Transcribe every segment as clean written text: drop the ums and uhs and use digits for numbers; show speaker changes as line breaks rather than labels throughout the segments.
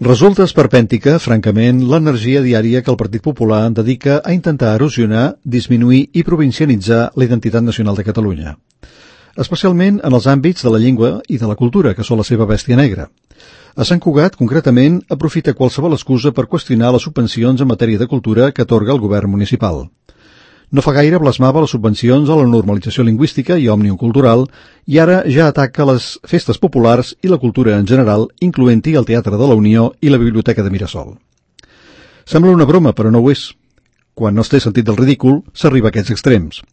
Resulta esperpèntica, francament, l'energia diària que el Partit Popular dedica a intentar erosionar, disminuir i provincianitzar la identitat nacional de Catalunya. Especialment en els àmbits de la llengua i de la cultura, que són la seva bèstia negra. A Sant Cugat, concretament, aprofita qualsevol excusa per qüestionar les subvencions en matèria de cultura que atorga el govern municipal. No fa gaire blasmava les subvencions a la normalització lingüística i òmnium cultural i ara ja ataca les festes populars i la cultura en general, incloent-hi el Teatre de la Unió i la Biblioteca de Mirasol. Sembla una broma, però no ho és. Quan no es té sentit del ridícul, s'arriba a aquests extrems.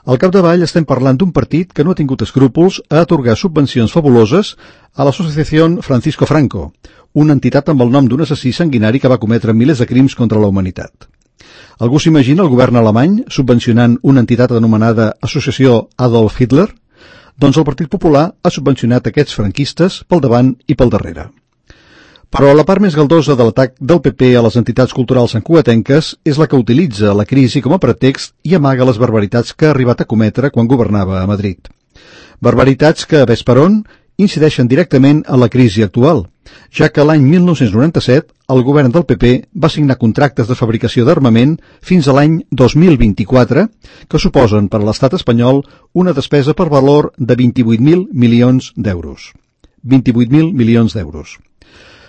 Al capdavall estem parlant d'un partit que no ha tingut escrúpols a atorgar subvencions fabuloses a l'Associació Francisco Franco, una entitat amb el nom d'un assassí sanguinari que va cometre milers de crims contra la humanitat. Algú s'imagina el govern alemany subvencionant una entitat anomenada Associació Adolf Hitler? Doncs el Partit Popular ha subvencionat aquests franquistes pel davant i pel darrere. Però la part més galdosa de l'atac del PP a les entitats culturals santcugatenques és la que utilitza la crisi com a pretext i amaga les barbaritats que ha arribat a cometre quan governava a Madrid. Barbaritats que, ves per on, incideixen directament en la crisi actual, ja que l'any 1997 el govern del PP va signar contractes de fabricació d'armament fins a l'any 2024 que suposen per a l'estat espanyol una despesa per valor de 28.000 milions d'euros. 28.000 milions d'euros.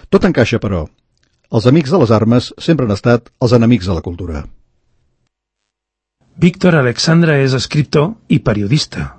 Tot encaixa, però. Els amics de les armes sempre han estat els enemics de la cultura.
Víctor Alexandra és escriptor i periodista.